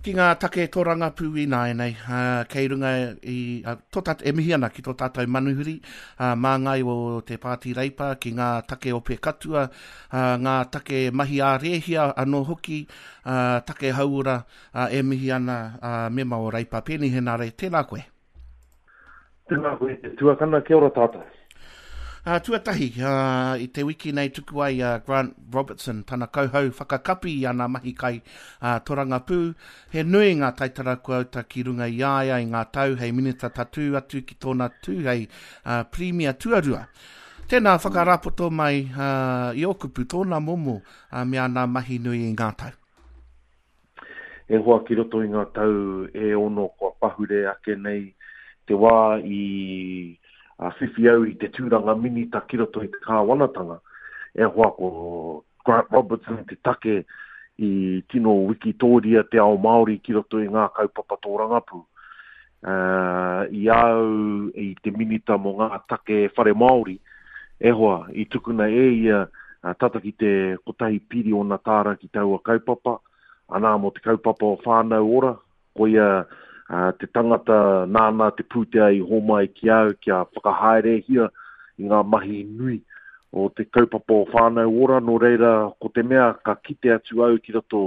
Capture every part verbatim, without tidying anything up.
Ki ngā take tōrangapū ināianei, uh, kei runga i, uh, tō tātou, e mihi ana ki tō tātou manuhiri, uh, māngai o te Pāti Reipa, ki ngā take ope katua, uh, ngā take mahi ā-rēhia anō hoki, uh, take hauora, uh, e mihi ana uh, mema o Reipa. Peeni Henare, tēnā koe. Tēnā koe te tuakana, kia ora tātou. Uh, tuatahi, uh, i te wiki nei tuku ai uh, Grant Robertson, tana kauhau whakakapi i ana mahi kai uh, torangapū. He nui ngā taitara kua uta ki runga i a ia i ngā tau hei minita tatū atu ki tōna tū hei uh, Pirimia tuarua. Tēnā whakarapoto mai uh, i ō kupu tōna momo uh, me ana mahi nui i ngā tau. E hoa ki roto i ngā tau e ono kua pahure ake nei te wā i a whiwhi au i te tūranga minita ki roto i te kāwanatanga. E hoa ko Grant Robertson te take i tino wikitōria te ao Māori ki roto i ngā kaupapa tōrangapū. Uh, i au i te minita mō ngā take whare Māori, e hoa, i tukuna e ia uh, tata ki te kotahi piriona tāra ki taua kaupapa, anā mō te kaupapa o Whānau Ora, koia Uh, te tangata nāna te pūtea i homai ki au kia whakahaerehia i ngā mahi nui o te kaupapa o Whānau Ora, nō reira ko te mea ka kite atu au ki roto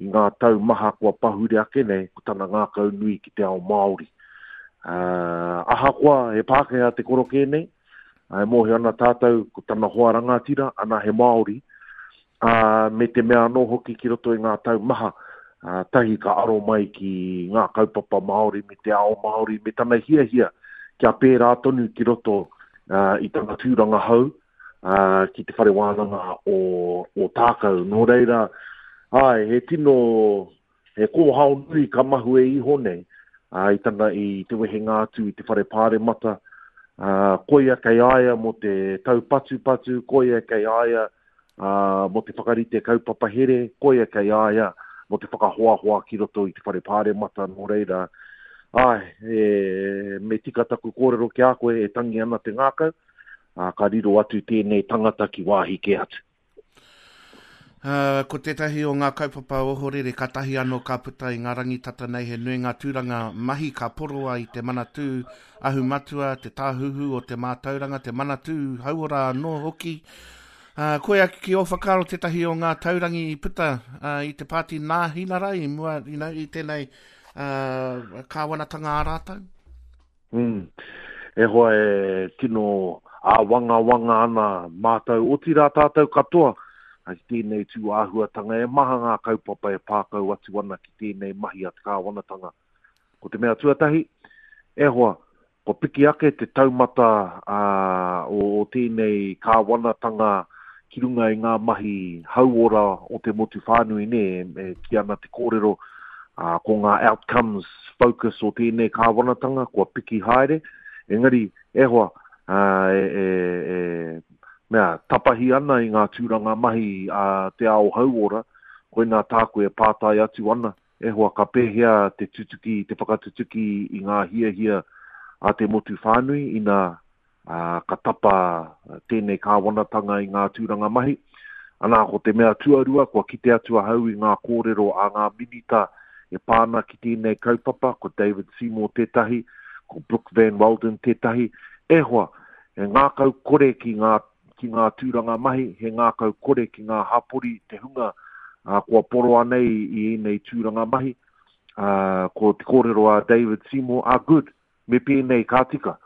i ngā tau maha kua pahure ake nei, ko tana ngākau nui ki te ao Māori. Uh, ahakoa he Pākehā te korokē nei, e mōhio ana tātou ko tana hoa rangatira, ana he Māori, uh, me te mea anō hoki ki roto i ngā tau maha, Uh, tahi ka aro mai ki ngā kaupapa Māori me te ao Māori me tana hiahia kia pērā tonu ki roto uh, i tana tūranga hau uh, ki te whare wānanga o, o Tākau. Nō reira, ai, he tino, he kōhao nui ka mahue iho nei uh, i, tana, i te wehenga atu i te whare pāremata. Uh, koia kei aia mō te taupatupatu, koia kei aia uh, mō te whakarite kaupapa here, koia kei aia mō te whakahoahoa ki roto i te whare pāremata, nō reira. Ai, e, me tika taku kōrero ki a koe e tangi ana te ngākau, a, ka riro atu tēnei tangata ki wāhi ke atu. Uh, ko tētahi o ngā kaupapa ohorere katahi anō ka puta i ngā rangitata nei he nui ngā tūranga mahi ka poroa i te Manatū Ahu Matua, te Tāhuhu o te Mātauranga, te Manatū Hauora anō hoki. Uh, koe ake ki ō whakaaro tētahi o ngā taurangi i puta uh, i te pāti Nāhinara i mua, you know, i tēnei uh, kāwanatanga a rātou? Mm. E hoa e tino āwangawanga ana mātou, otirā tātou katoa ki tēnei tū āhuatanga e maha ngā kaupapa e pākau atu ana ki tēnei mahi a te kāwanatanga. Ko te mea tuatahi, e hoa, ko piki ake te taumata uh, o, o tēnei kāwanatanga ki runga i ngā mahi hauora o te motu whānui ne, e ki ana te kōrero uh, ko ngā outcomes focus o tēnei kāwanatanga kua piki haere, engari e hoa, uh, e, e, e, mea, tapahi ana i ngā tūranga mahi a uh, te ao hauora, koinā tāku e pātai atu ana, e hoa ka pēhea te tutuki, te whakatutuki i ngā hiahia a te motu whānui ina Uh, ka tapa tēnei kāwanatanga i ngā tūranga mahi. Anā, ko te mea tuarua, kua kite atu ahau i ngā kōrero a ngā minita e pāna ki tēnei kaupapa, ko David Seymour tētahi, ko Brooke Van Walden tētahi. E hoa, e ngākau kore ki ngā, ki ngā tūranga mahi, he ngākau kore ki ngā hapori te hunga uh, kua poroa nei i ēnei tūranga mahi. Uh, ko te kōrero a David Seymour, ah, good, me pēnei ka tika.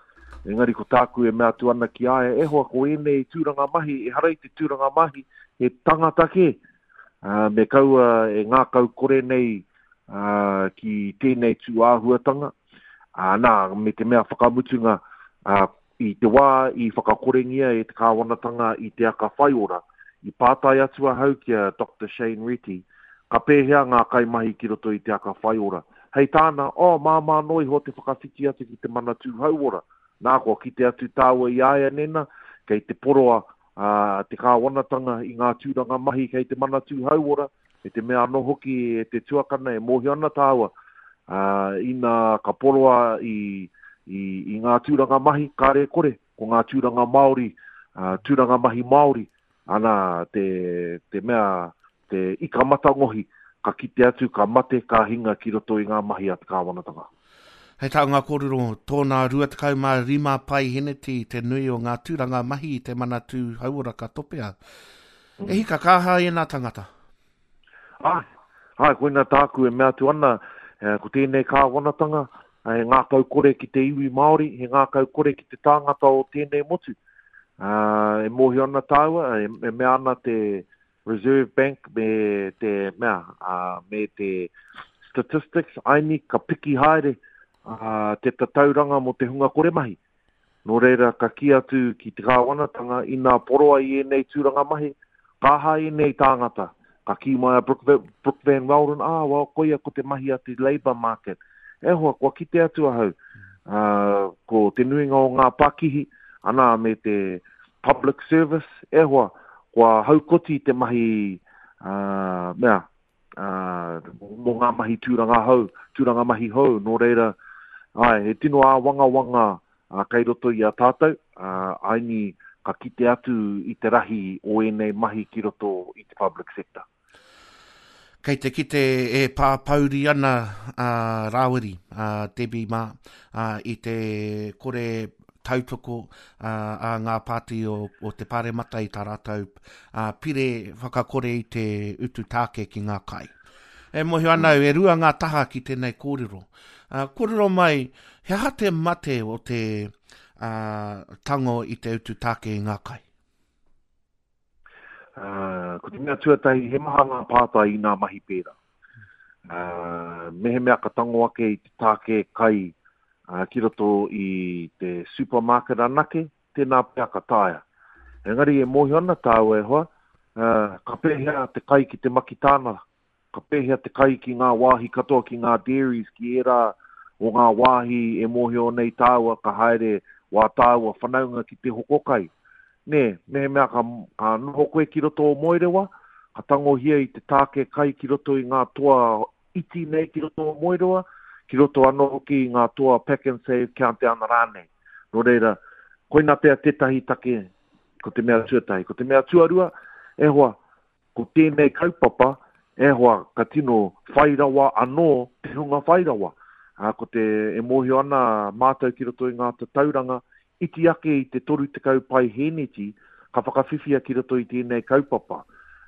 Engari ko tāku e mea atu ana ki aia, e hoa ko ēnei tūranga mahi, e hara i te tūranga mahi, he tangata kē. Uh, me kaua e ngākau kore nei uh, ki tēnei tūāhuatanga. Uh, nā, me te mea whakamutunga, uh, i te wā i whakakorengia e te kāwanatanga i te aka whaiora, i pātai atu ahau ki a Doctor Shane Reti, ka pēhea ngā kaimahi ki roto i te aka whaiora. Hei tāna, oh, māmā noa iho te whakawhiti atu ki te Manatū Hauora. Nā, kua kite atu tāua i aia nena, kei te poroa uh, te kāwanatanga i ngā tūranga mahi kei te Manatū Hauora, e te mea anō hoki e te tuakana e mōhio ana tāua. Uh, ina ka poroa i, i, i ngā tūranga mahi, kāre kore, ko ngā tūranga Māori, uh, tūranga mahi Māori, ana te, te mea, te ika matangohi, ka kite atu, ka mate, ka hinga ki roto i ngā mahi a te kāwanatanga. Hei tā ngā kōrero, tōna rua tekau mā rima paiheneti te nui o ngā tūranga mahi i te Manatū Hauora ka topea. E hika, ka aha ēnā tangata? Ai, ai, koina tāku e mea atu ana, ko tēnei kāwanatanga, he ngākau kore ki te iwi Māori, he ngākau kore ki te tāngata o tēnei motu. Uh, e mōhio ana tāua, e, e mea ana te Reserve Bank me te mea, uh, me te statistics, aini ka piki haere uh, te tatauranga mō te hunga kore mahi. Nō reira ka kī atu ki te kāwanatanga inā poroa i ēnei tūranga mahi, ka aha ēnei tāngata. Ka kī mai a Brooke, Brooke Van Weldon, ah, well, koia ko te mahi a te labour market. E hoa, kua kite atu ahau. Uh, ko te nuinga o ngā pakihi, ana me te public service, e hoa, kua haukoti te mahi, uh, mea, uh, mō ngā mahi tūranga hou, tūranga mahi hou, nō reira, ai, he tino āwangawanga uh, kei roto i a tātou, uh, aini ka kite atu i te rahi o ēnei mahi ki roto i te public sector. Kei te kite e pāpauri ana a Rāwiri, a Debbie mā, a, i te kore tautoko a, a ngā pāti o, o te Pāremata i tā rātou a, pire whakakore i te utu tāke ki ngā kai. E mōhio ana au, e rua ngā taha ki tēnei kōrero. A, kōrero mai, he aha te mate o te a, tango i te utu tāke i ngā kai? Uh, ko te mea tuatahi, he maha ngā pātai i ngā mahi pērā. Uh, mehemea ka tango ake i te tāke kai uh, ki roto i te supermarket anake, tēnā pea ka taea. Engari e mōhio ana tāua e hoa, uh, ka pēhea te kai ki te makitānara, ka pēhea te kai ki ngā wāhi katoa, ki ngā dairies, ki ērā o ngā wāhi e mōhio nei tāua ka haere wā tāua whanaunga ki te hoko kai. Nē, mehemea ka, ka noho koe ki roto o Moerewa, ka tangohia i te tāke kai ki roto i ngā toa iti nei ki roto o Moerewa, ki roto anō hoki i ngā toa pack and save countdown rānei. Nō reira, koina pea tētahi take, ko te mea tuatahi. Ko te mea tuarua, e hoa, ko tēnei kaupapa, e hoa, ka tino whairawa anō te hunga whairawa. Uh, ko te e mōhio ana mātou ki roto i ngā tatauranga, iti ake i te toru tekau paiheneti ka whakawhiwhia ki roto i tēnei kaupapa.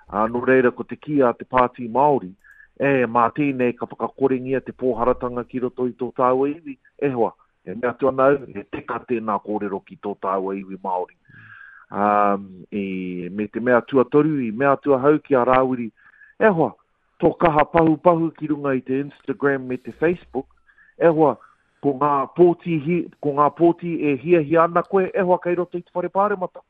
Uh, nō reira ko te kī a te Pāti Māori, e mā tēnei ka whakakorengia te pōharatanga ki roto i tō tāua iwi, e hoa, e mea atu ana au, he teka tēnā kōrero ki tō tāua iwi Māori. Um, e, me te mea tuatoru, i mea atu ahau ki a Rāwiri, e hoa, tō kaha pahu pahu ki runga i te Instagram me te Facebook, e hoa, ko ngā pōti, hi, ko ngā pōti e hiahia ana koe, e hoa kei roto i te whare pāremata.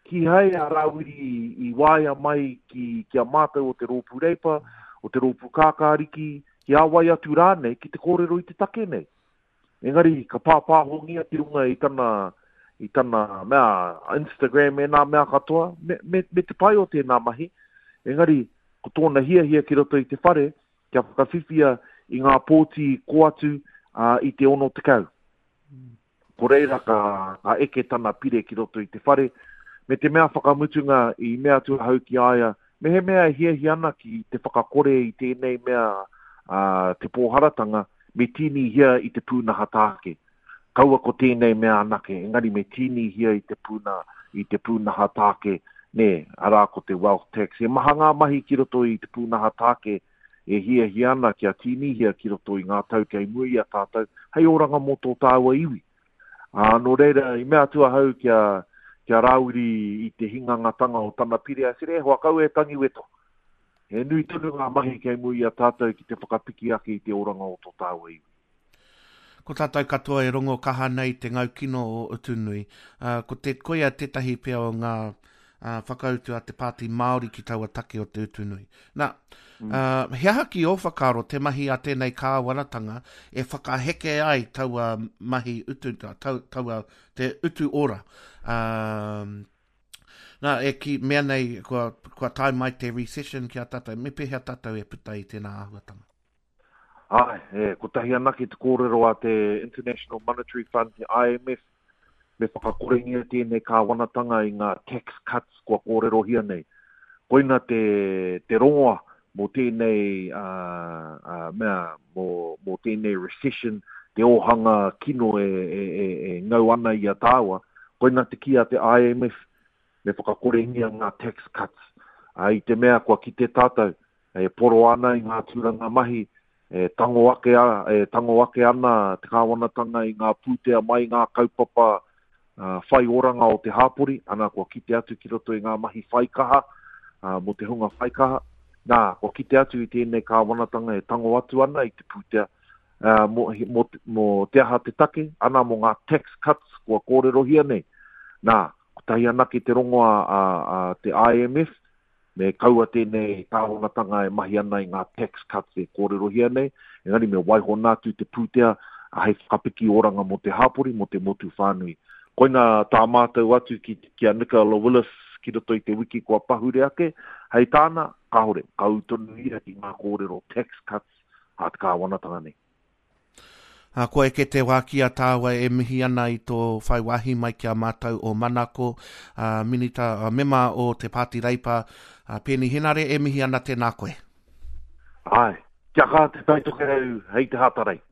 Kīhai a Rāwiri i waea mai ki, ki a mātou o te rōpū Reipa, o te rōpū Kākāriki, ki a wai atu rānei ki te kōrero i te take nei. Engari, ka pāpāhongia ki runga i tana, i tana mea, Instagram e nā mea katoa, me, me, me te pai o tēnā mahi. Engari, ko tōna hiahia ki roto i te whare, kia whakawhiwhia i ngā pōti ko atu uh, i te ono tekau. Ko reira ka, ka eke tana pire ki roto i te whare, me te mea whakamutunga i mea atu ahau ki a ia, me he mea e hiahia ana ki te whakakore i tēnei mea uh, te pōharatanga, me tīnihia i te pūnaha tāke. Kaua ko tēnei mea anake, engari me tīnihia i te pūna, i te pūnaha tāke, nē, arā ko te wealth tax. He maha ngā mahi ki roto i te pūnaha tāke e hiahia ana kia tīnihia ki roto i ngā tau kei mua i a tātou, hei oranga mō tō tāua iwi. Ā, nō reira, i mea atu ahau kia, kia Rāwiri i te hingangatanga o tana pire, a sere, e hoa kau e tangi weto. He nui tonu ngā mahi kei mua i a tātou ki te whakapiki ake i te oranga o tō tāua iwi. Ko tātou katoa e rongo kaha nei te ngaukino o Utunui. Uh, ko te koia tētahi pea o ngā uh, whakautu a te Pāti Māori ki taua take o te Utunui. Nā, mm. uh, he aha ki ō whakaaro te mahi a tēnei kāwanatanga e whakaheke ai taua mahi utu, tau, taua te utu ora. Um, nā, e ki mea nei kua, kua tae mai te recession ki a tātou, me pēhea tātou e puta i tēnā āhuatanga? Ai, e, kotahi anake te kōrero a te International Monetary Fund, te I M F, me whakakorengia tēnei kāwanatanga i ngā tax cuts kua kōrerohia nei. Koina te, te rongoa mō tēnei uh, uh, mea, mō, mō tēnei recession, te ōhanga kino e, e, e, e ngau ana i a tāua, koina te kī a te I M F, me whakakorengia ngā tax cuts. Uh, I te mea kua kite tātou, e poro ana i ngā tūranga mahi, e tango ake, a, e tango ake ana te kāwanatanga i ngā pūtea mai ngā kaupapa uh, whai oranga o te hāpori, ana kua kite atu ki roto i ngā mahi whaikaha, uh, mō te hunga whaikaha. Nā, kua kite atu i tēnei kāwanatanga e tango atu ana i te pūtea, uh, mō, mō, mō te aha te take, ana mō ngā tax cuts kua kōrerohia nei. Nā, kotahi anake te rongoa a, a, a te I M F, me kaua tēnei kāwanatanga e mahi ana i ngā tax cuts e kōrerohia nei, engari me waiho atu te pūtea hei whakapiki oranga mō te hāpori, mō te motu whānui. Koina tā mātou atu ki, ki a Nicola Willis ki roto i te wiki kua pahure ake, hei tāna, kāhore, ka ū tonu ia ki ngā kōrero tax cuts a te kāwanatanga nei. Uh, kua eke te wā ki a tāua e mihi ana i tō whai wāhi mai ki a mātou o Manako, uh, minita, uh, mema o te Pāti Reipa, uh, Peeni Henare, e mihi ana, tēnā koe. Ai, kia kaha Te Taitokerau hei te Hatarei.